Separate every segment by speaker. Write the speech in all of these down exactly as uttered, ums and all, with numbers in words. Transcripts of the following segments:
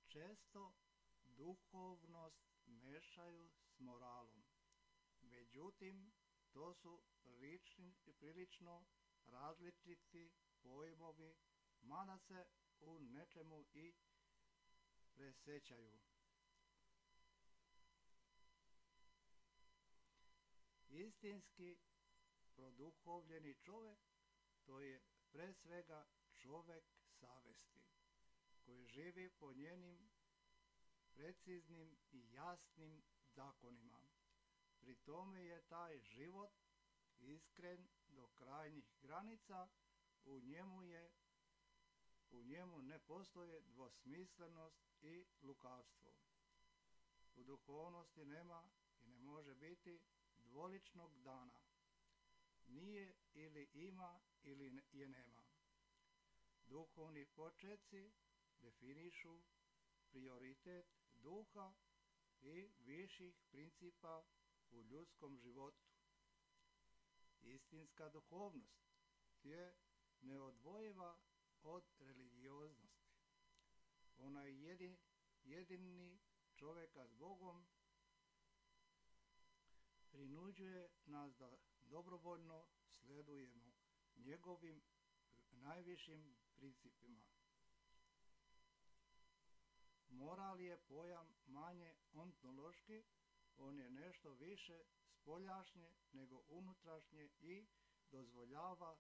Speaker 1: Često duhovnost mešaju s moralom, međutim to su prilični, prilično različiti pojmovi, mada se u nečemu i presećaju. Istinski produhovljeni čovjek to je pre svega čovjek savesti, koji živi po njenim preciznim i jasnim zakonima. Pri tome je taj život iskren do krajnjih granica, u njemu je u njemu ne postoje dvosmislenost i lukavstvo. U duhovnosti nema i ne može biti dvoličnog dana. Nije ili ima ili je nema. Duhovni počeci definišu prioritet duha i viših principa u ljudskom životu. Istinska duhovnost je neodvojiva od religioznosti. Ona je jedini, jedini čovjeka s Bogom, prinuđuje nas da dobrovoljno sledujemo njegovim najvišim principima. Moral je pojam manje ontološki, on je nešto više spoljašnje nego unutrašnje i dozvoljava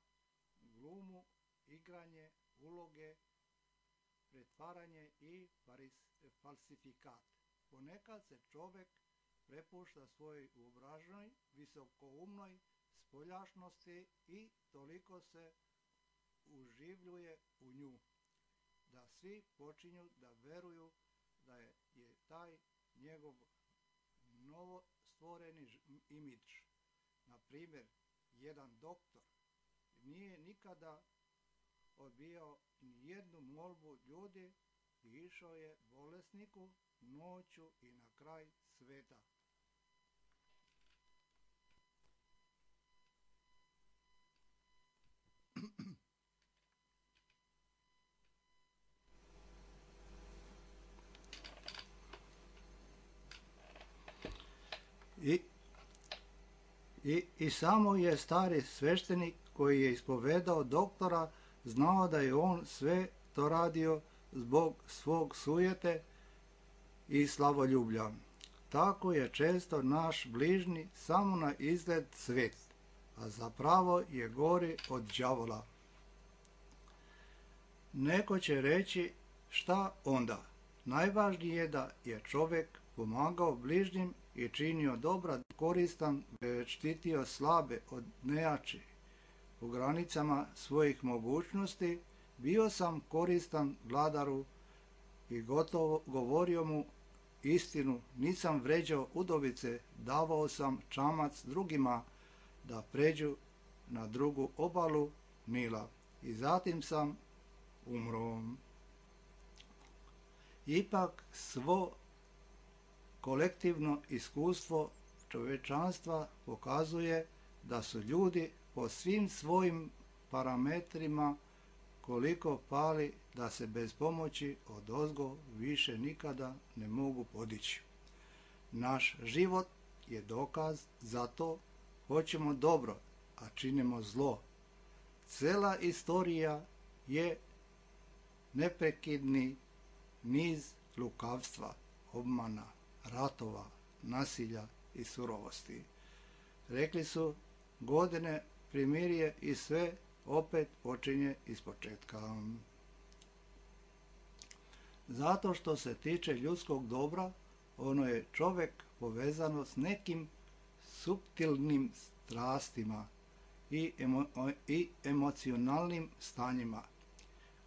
Speaker 1: glumu, igranje, uloge, pretvaranje i falsifikat. Ponekad se čovjek prepušta svojoj uobraženoj, visokoumnoj spoljašnosti i toliko se uživljuje u nju, da svi počinju da veruju da je, je taj njegov novo stvoreni imidž. Na primjer, jedan doktor nije nikada odbijao ni jednu molbu ljudi i išao je bolesniku noću i na kraj sveta. I, i, I samo je stari sveštenik koji je ispovedao doktora znao da je on sve to radio zbog svog sujete i slavoljublja. Tako je često naš bližnji samo na izgled svet, a zapravo je gori od đavola. Neko će reći šta onda? Najvažnije je da je čovjek pomagao bližnjim i činio dobra, koristan, već štitio slabe od nejači. U granicama svojih mogućnosti bio sam koristan vladaru i gotovo govorio mu istinu, nisam vređao udovice, davao sam čamac drugima da pređu na drugu obalu Nila i zatim sam umro. Ipak svo kolektivno iskustvo čovječanstva pokazuje da su ljudi po svim svojim parametrima koliko pali da se bez pomoći odozgo više nikada ne mogu podići. Naš život je dokaz za to, hoćemo dobro, a činimo zlo. Cela istorija je neprekidni niz lukavstva, obmana, ratova, nasilja i surovosti. Rekli su, godine primirje i sve opet počinje ispočetka. Zato što se tiče ljudskog dobra, ono je čovjek povezano s nekim suptilnim strastima i, emo, i emocionalnim stanjima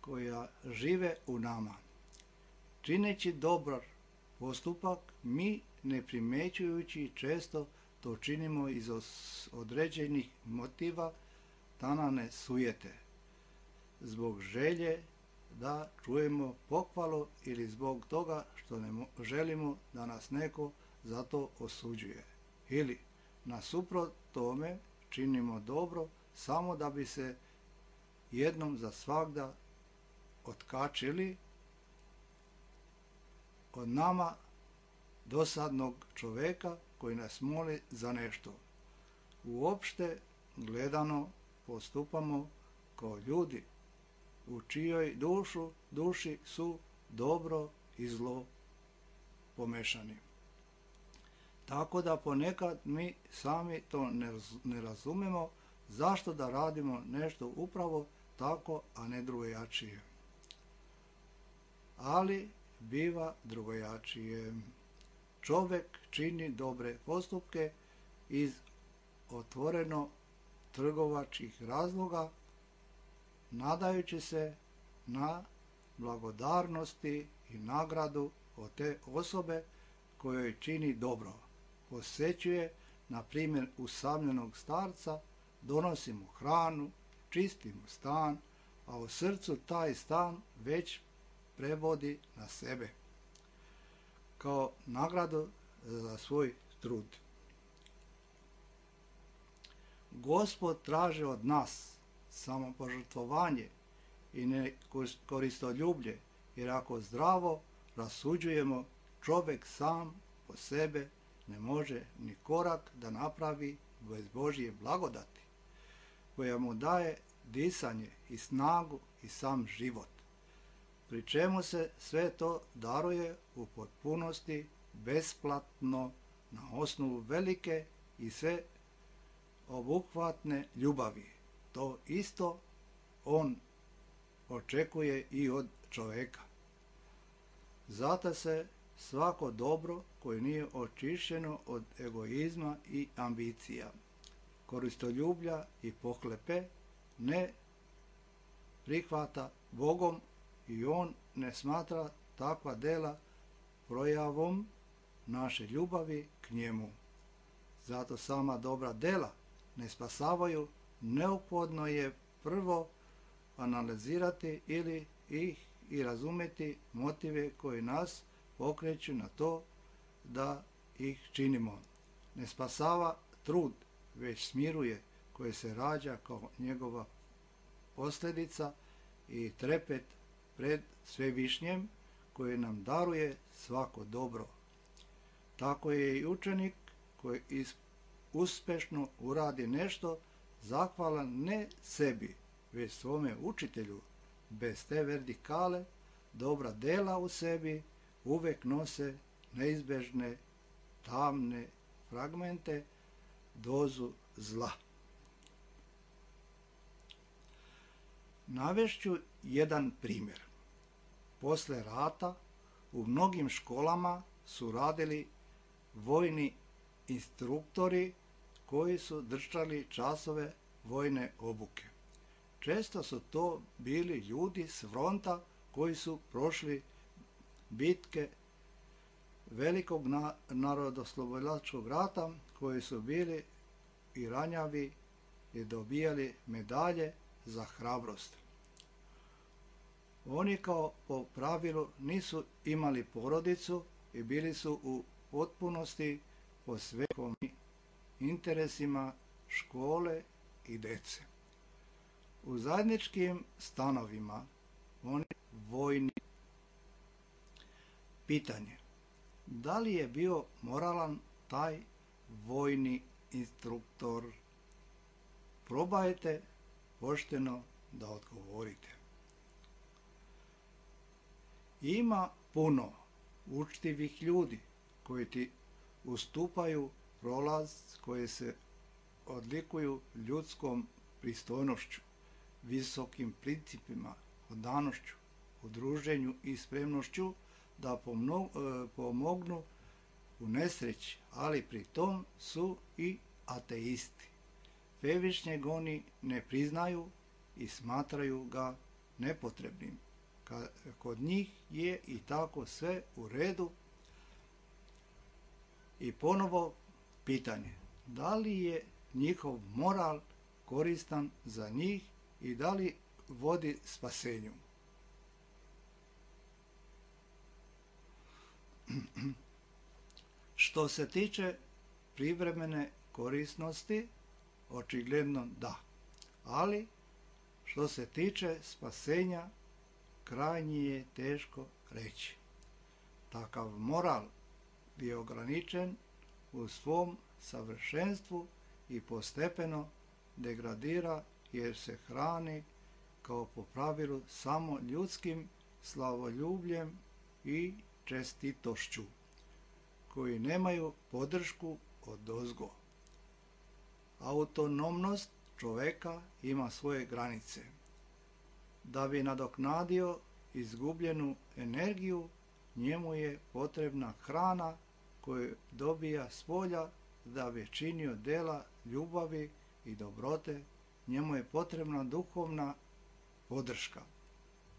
Speaker 1: koja žive u nama. Čineći dobar postupak, mi ne primećujući često to činimo iz određenih motiva, tanane sujete, zbog želje da čujemo pohvalu ili zbog toga što ne želimo da nas neko za to osuđuje. Ili, nasuprot tome, činimo dobro samo da bi se jednom za svagda otkačili od nama dosadnog čoveka koji nas moli za nešto. Uopšte gledano postupamo kao ljudi u čijoj dušu, duši su dobro i zlo pomešani. Tako da ponekad mi sami to ne razumemo zašto da radimo nešto upravo tako, a ne drugojačije. Ali biva drugojačije. Čovek čini dobre postupke iz otvoreno trgovačkih razloga, nadajući se na blagodarnosti i nagradu od te osobe kojoj čini dobro. Posećuje, na primjer, usamljenog starca, donosi mu hranu, čisti mu stan, a u srcu taj stan već prevodi na sebe, kao nagradu za svoj trud. Gospod traži od nas samopožrtvovanje i nekoristoljublje, jer ako zdravo rasuđujemo, čovjek sam po sebe ne može ni korak da napravi bez Božje blagodati, koja mu daje disanje i snagu i sam život, pri čemu se sve to daruje u potpunosti besplatno na osnovu velike i sve obuhvatne ljubavi. To isto on očekuje i od čoveka. Zato se svako dobro koje nije očišćeno od egoizma i ambicija, koristoljublja i pohlepe ne prihvata Bogom i on ne smatra takva dela projavom naše ljubavi k njemu. Zato sama dobra dela ne spasavaju, neophodno je prvo analizirati ili ih i razumeti motive koji nas pokreću na to da ih činimo. Ne spasava trud, već smiruje, koje se rađa kao njegova posljedica i trepet pred Svevišnjem koji nam daruje svako dobro. Tako je i učenik koji uspešno uradi nešto zahvalan ne sebi, već svome učitelju. Bez te vertikale dobra dela u sebi uvek nose neizbežne tamne fragmente, dozu zla. Navešću jedan primjer. Posle rata u mnogim školama su radili vojni instruktori koji su držali časove vojne obuke. Često su to bili ljudi s fronta koji su prošli bitke velikog narodoslobodilačkog rata, koji su bili i ranjavi i dobijali medalje za hrabrost. Oni kao po pravilu nisu imali porodicu i bili su u potpunosti posvećeni interesima škole i dece. U zajedničkim stanovima oni vojni. Pitanje: da li je bio moralan taj vojni instruktor? Probajte pošteno da odgovorite. Ima puno učtivih ljudi koji ti ustupaju prolaz, koji se odlikuju ljudskom pristojnošću, visokim principima, odanošću, udruženju i spremnošću da pomognu u nesreći, ali pri tom su i ateisti. Svevišnjeg oni ne priznaju i smatraju ga nepotrebnim. Kod njih je i tako sve u redu. I ponovo pitanje: da li je njihov moral koristan za njih i da li vodi spasenju? Što se tiče privremene korisnosti, očigledno da. Ali, što se tiče spasenja, krajnje je teško reći. Takav moral je ograničen u svom savršenstvu i postepeno degradira jer se hrani kao po pravilu samo ljudskim slavoljubljem i čestitošću, koji nemaju podršku odozgo. Autonomnost čoveka ima svoje granice. Da bi nadoknadio izgubljenu energiju, njemu je potrebna hrana koju dobija s polja. Da bi činio dela ljubavi i dobrote, njemu je potrebna duhovna podrška.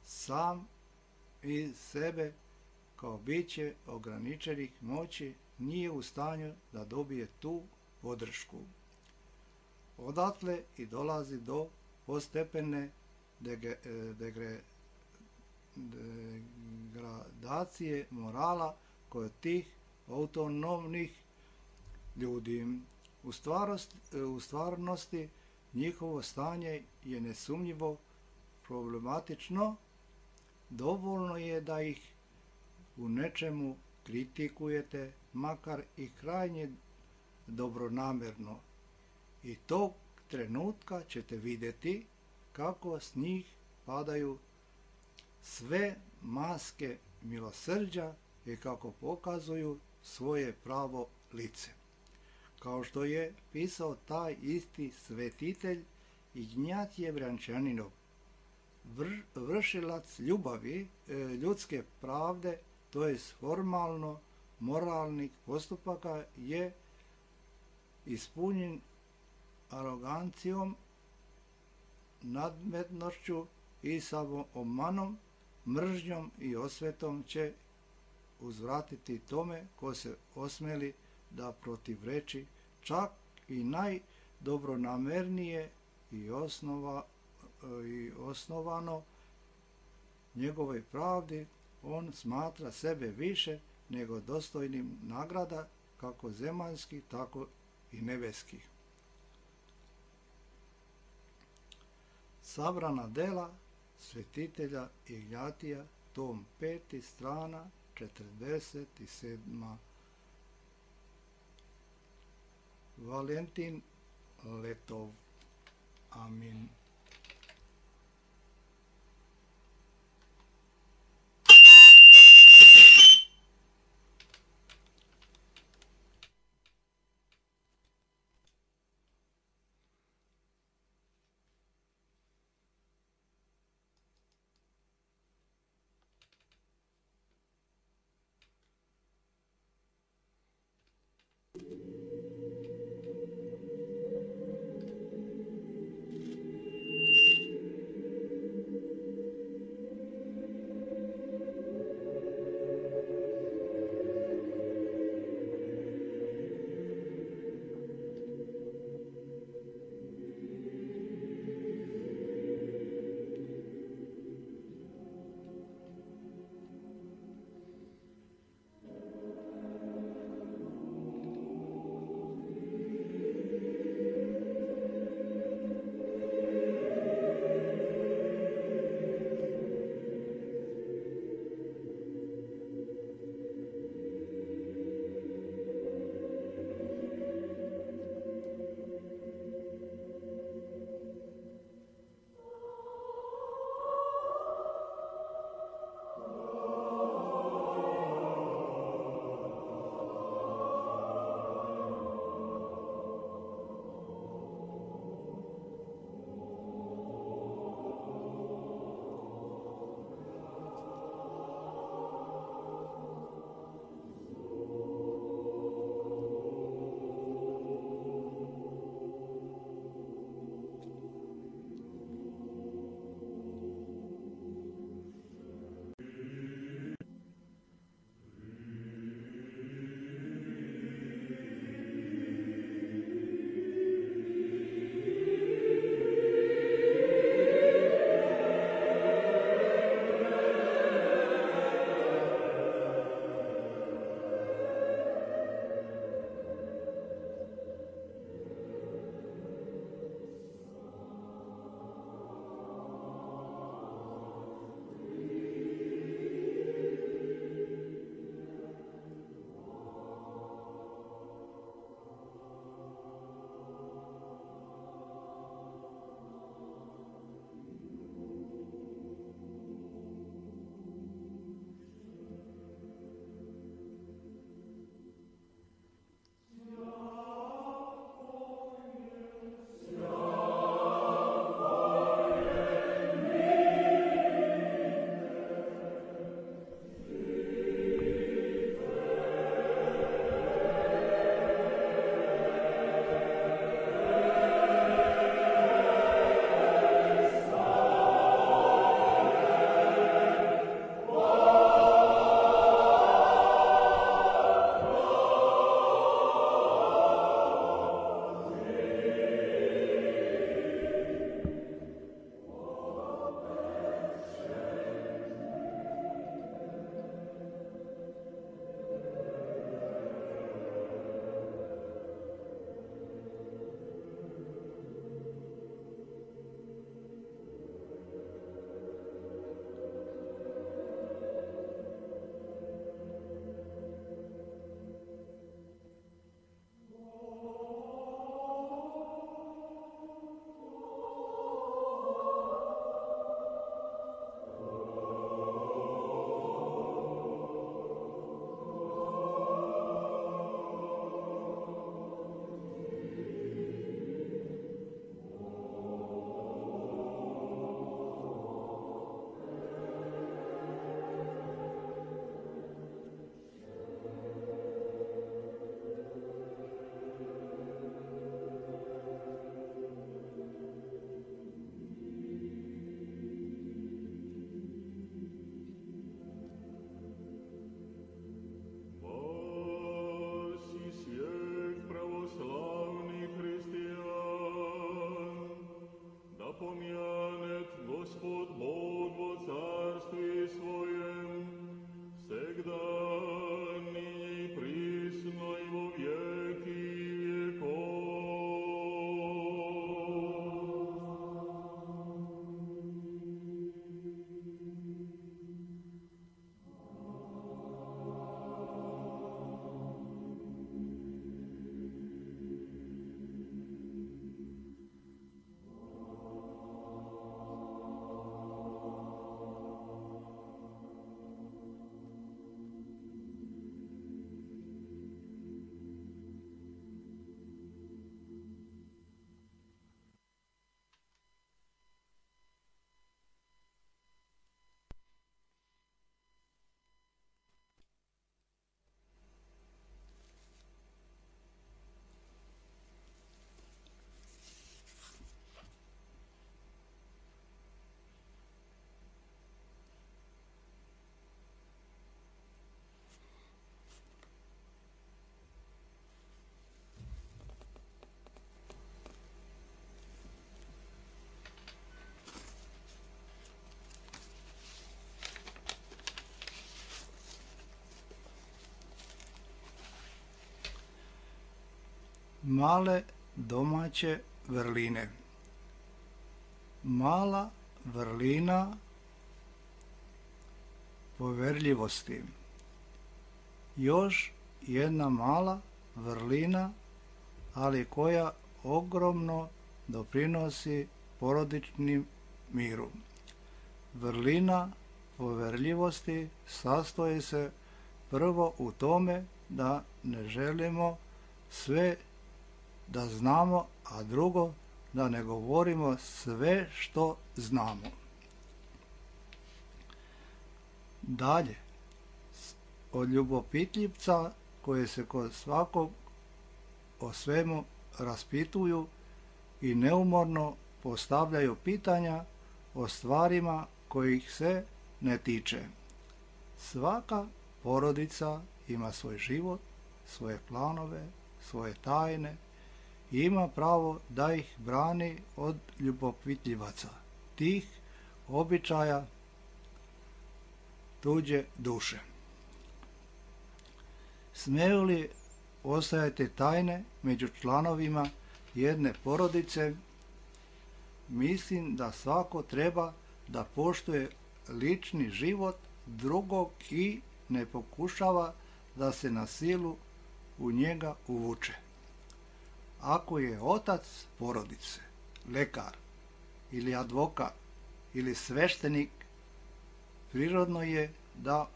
Speaker 1: Sam iz sebe, kao biće ograničenih moći, nije u stanju da dobije tu podršku. Odatle i dolazi do postepene degradacije morala kod tih autonomnih ljudi. U, stvarost, u stvarnosti njihovo stanje je nesumnjivo problematično. Dovoljno je da ih u nečemu kritikujete, makar i krajnje dobronamerno. I tog trenutka ćete vidjeti kako s njih padaju sve maske milosrđa i kako pokazuju svoje pravo lice. Kao što je pisao taj isti svetitelj Ignjatije Vrančaninov, vršilac ljubavi, ljudske pravde, to je formalno moralnih postupaka, je ispunjen arogancijom, nadmetnošću i samoomanom, mržnjom i osvetom će uzvratiti tome ko se osmeli da protivreči čak i najdobronamernije i, osnova, i osnovano njegovoj pravdi. On smatra sebe više nego dostojnim nagrada, kako zemaljskih, tako i nebeskih. Sabrana dela svetitelja Ignjatija, tom peti, strana četrdeset sedma. Valentin Letov. Amin.
Speaker 2: Thank you.
Speaker 1: Male domaće vrline. Mala vrlina poverljivosti. Još jedna mala vrlina, ali koja ogromno doprinosi porodičnim miru. Vrlina poverljivosti sastoji se prvo u tome da ne želimo sve da znamo, a drugo da ne govorimo sve što znamo. Dalje, od ljubopitljivca koje se kod svakog o svemu raspituju i neumorno postavljaju pitanja o stvarima kojih se ne tiče. Svaka porodica ima svoj život, svoje planove, svoje tajne i ima pravo da ih brani od ljubopitljivaca, tih običaja tuđe duše. Smeju li ostajati tajne među članovima jedne porodice? Mislim da svako treba da poštuje lični život drugog i ne pokušava da se na silu u njega uvuče. Ako je otac porodice, lekar ili advokat ili sveštenik, prirodno je da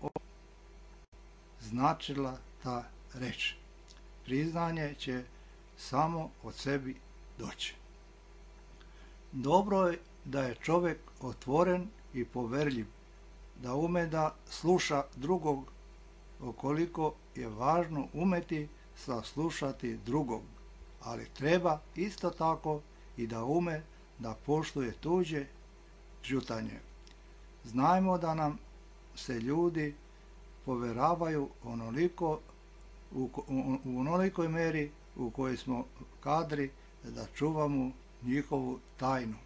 Speaker 1: značila ta reč. Priznanje će samo od sebi doći. Dobro je da je čovjek otvoren i poverljiv, da ume da sluša drugog, ukoliko je važno umeti saslušati drugog, ali treba isto tako i da ume da poštuje tuđe ćutanje. Znajmo da nam se ljudi poveravaju onoliko, u, u, u onolikoj meri u kojoj smo kadri da čuvamo njihovu tajnu.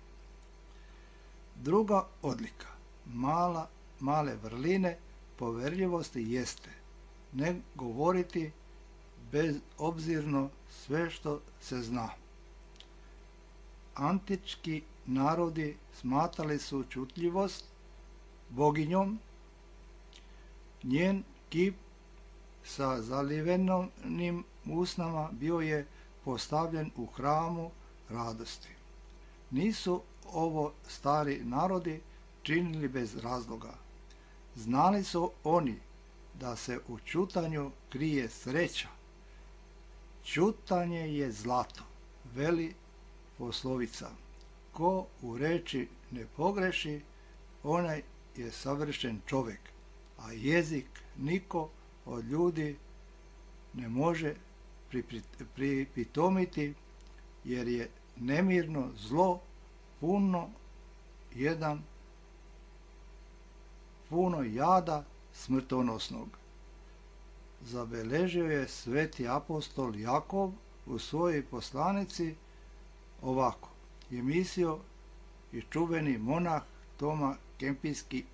Speaker 1: Druga odlika mala, male vrline poverljivosti jeste ne govoriti bezobzirno sve što se zna. Antički narodi smatrali su čutljivost boginjom. Njen kip sa zalivenim usnama bio je postavljen u hramu radosti. Nisu ovo stari narodi činili bez razloga. Znali su oni da se u ćutanju krije sreća. Ćutanje je zlato, veli poslovica. Ko u reči ne pogreši, onaj je savršen čovjek, a jezik niko od ljudi ne može pripitomiti, jer je nemirno zlo puno jedan puno jada smrtonosnog. Zabeležio je sveti apostol Jakov u svojoj poslanici ovako. Je mislio i čuveni monah Toma Kempinski,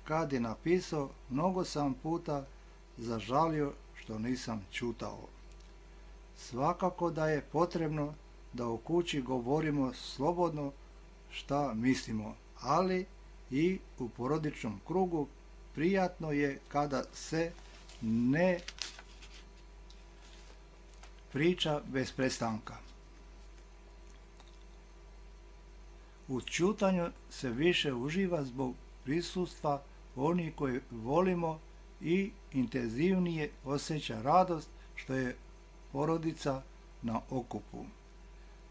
Speaker 1: kad je napisao: mnogo sam puta zažalio što nisam ćutao. Svakako da je potrebno da u kući govorimo slobodno šta mislimo, ali i u porodičnom krugu prijatno je kada se ne priča bez prestanka. U ćutanju se više uživa zbog prisustva onih koje volimo i intenzivnije osjeća radost što je porodica na okupu.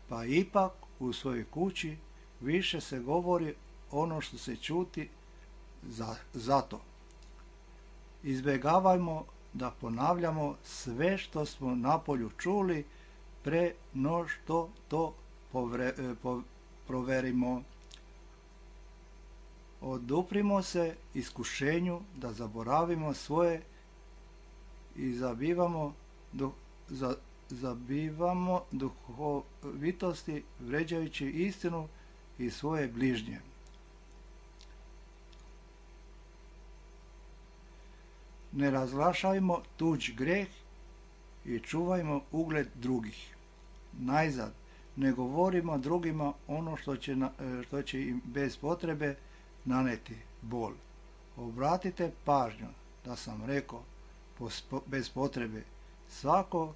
Speaker 1: Pa ipak u svojoj kući više se govori ono što se ćuti za, zato. Izbjegavajmo da ponavljamo sve što smo napolju čuli pre no što to povre, po, proverimo. Oduprimo se iskušenju da zaboravimo svoje i zabivamo, duh, za, zabivamo duhovitosti vređajući istinu i svoje bližnje. Ne razglašajmo tuđ greh i čuvajmo ugled drugih. najzad, ne govorimo drugima ono što će, što će im bez potrebe naneti bol. Obratite pažnju da sam rekao bez potrebe. Svako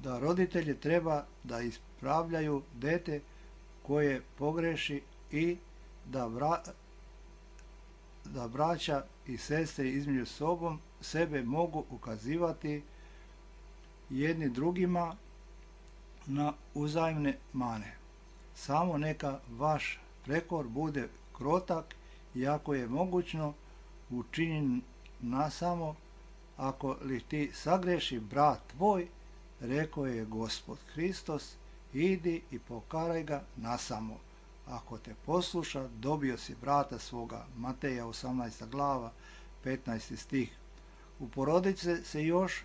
Speaker 1: da roditelji treba da ispravljaju dete koje pogreši i da, bra, da braća i sestre između sobom sebe mogu ukazivati jedni drugima na uzajamne mane. Samo neka vaš prekor bude krotak i ako je mogućno učinjen nasamo, ako li ti sagreši brat tvoj, rekao je Gospod Hristos, idi i pokaraj ga nasamo. Ako te posluša, dobio si brata svoga. Mateja osamnaesta glava, petnaesti stih. U porodici se još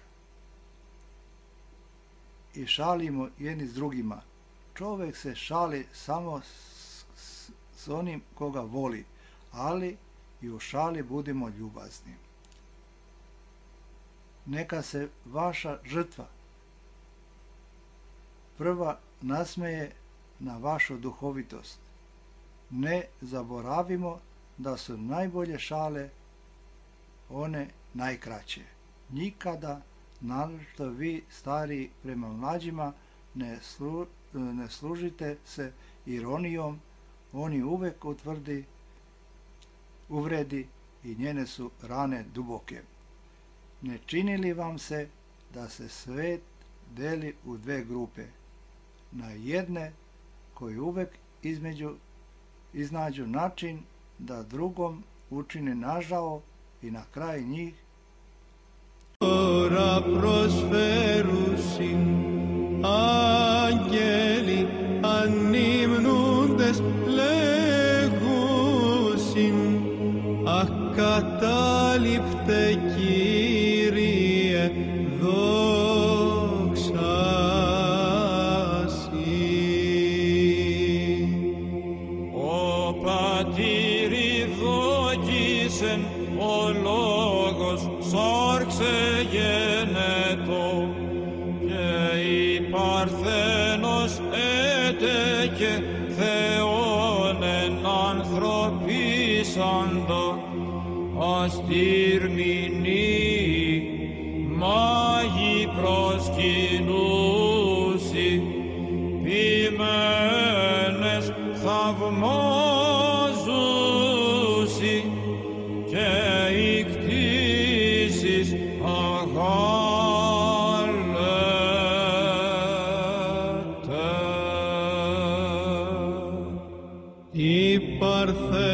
Speaker 1: i šalimo jedni s drugima. Čovjek se šali samo s, s, s onim koga voli, ali i u šali budimo ljubazni. Neka se vaša žrtva prva nasmeje na vašu duhovitost. Ne zaboravimo da su najbolje šale one najkraće. Nikada, naročito vi stariji prema mlađima, ne, slu, ne služite se ironijom, oni uvek utvrdi, uvredi i njene su rane duboke. Ne čini li vam se da se svet deli u dve grupe? Na jedne koji uvek između iznađu način da drugom učine nažao i na kraj njih
Speaker 2: Ora prosferusin angeli annimnundes legusin akatalipte Kyrie doxa si.
Speaker 3: Ο πατήρι δόκισεν ο λόγος σάρξε γενετό και η Παρθένος έτεκε Θεόν εν ανθρωπίσαντο αστήρμηνη μάγι προσκυνούσι ποιμένες θαυμάζουσι και οι κτήσεις αγάλετε.
Speaker 2: Η Παρθένος